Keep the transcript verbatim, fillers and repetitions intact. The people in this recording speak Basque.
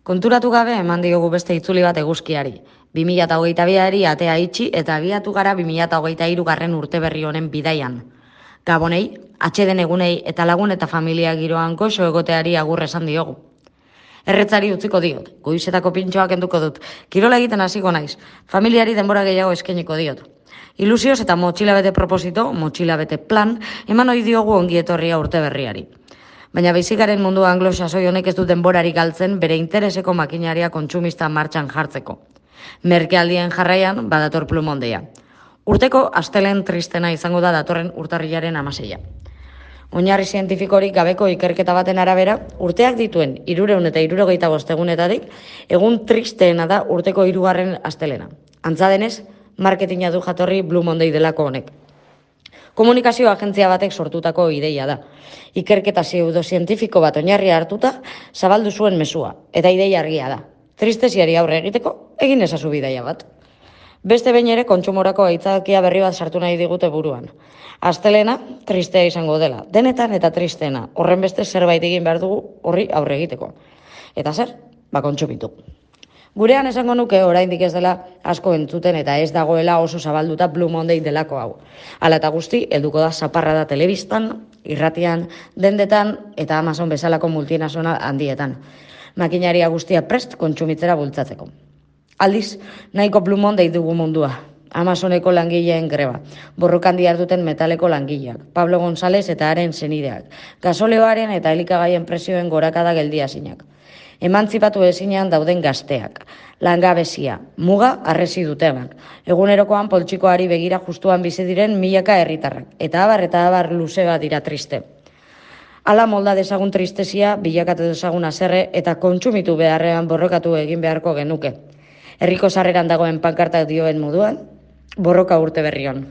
Konturatu gabe eman diogu beste itzuli bat eguzkiari. bi mila hogeita biari atea itxi eta abiatu gara bi mila hogeita hiru garren urte berri honen bidaian. Gabonei, atxeden egunei eta lagun eta familia giroan goxo egoteari agur esan diogu. Erretzari utziko diot, goizetako pintxoak enduko dut, kirola egiten hasiko naiz, familiari denbora gehiago eskainiko diot. Ilusioz eta motxilabete proposito, motxilabete plan, eman ohi diogu ongi etorria urte berriari. Baina beizikaren mundu anglo-sasoi honek ez du denborari galtzen bere intereseko makinaria kontsumista martxan jartzeko. Merkealdien jarraian badator plumondeia. Urteko astelen tristena izango da datorren urtarrilaren amaseia. Oinarri zientifikorik gabeko ikerketa baten arabera, urteak dituen hirurehun eta hirurogeita bost egunetatik, egun tristeena da urteko hirugarren astelena. Antza denez, marketinga du jatorri Blue Monday delako honek. Komunikazio agentzia batek sortutako ideia da. Ikerketa pseudozientifiko bat oinarri hartuta, zabaldu zuen mezua, eta ideia argia da. Tristesiari aurre egiteko, egin ezazu bidaia bat. Beste behin ere kontsumorako aitzakia berri bat sartu nahi digute buruan. Astelena, tristea izango dela. Denetan eta tristeena. Horren beste zerbait egin behar dugu horri aurre egiteko. Eta zer? Ba kontsumitu. Gurean esango nuke oraindik ez dela asko entzuten eta ez dagoela oso zabalduta Blue Monday delako hau. Hala eta guzti, helduko da zaparra da telebistan, irratian, dendetan eta Amazon bezalako multinazional handietan. Makinaria guztia prest kontsumitzera bultzatzeko. Aldiz, nahiko Blue Monday dugu mundua. Amazoneko langileen greba, borrokan diharduten metaleko langileak, Pablo González eta haren senideak, gasoleoaren eta elikagaien presioen gorakada geldiazinak. Emantzipatu ezinean dauden gazteak, langabezia, muga arresi dutenak, egunerokoan poltsikoari begira justuan bizi diren milaka herritarrak, eta abar eta abar luze bat dira triste. Hala molda dezagun tristesia, bilakatu dezagun haserre eta kontsumitu beharrean borrokatu egin beharko genuke. Herriko sarreran dagoen pankartak dioen moduan, borroka urte berrion.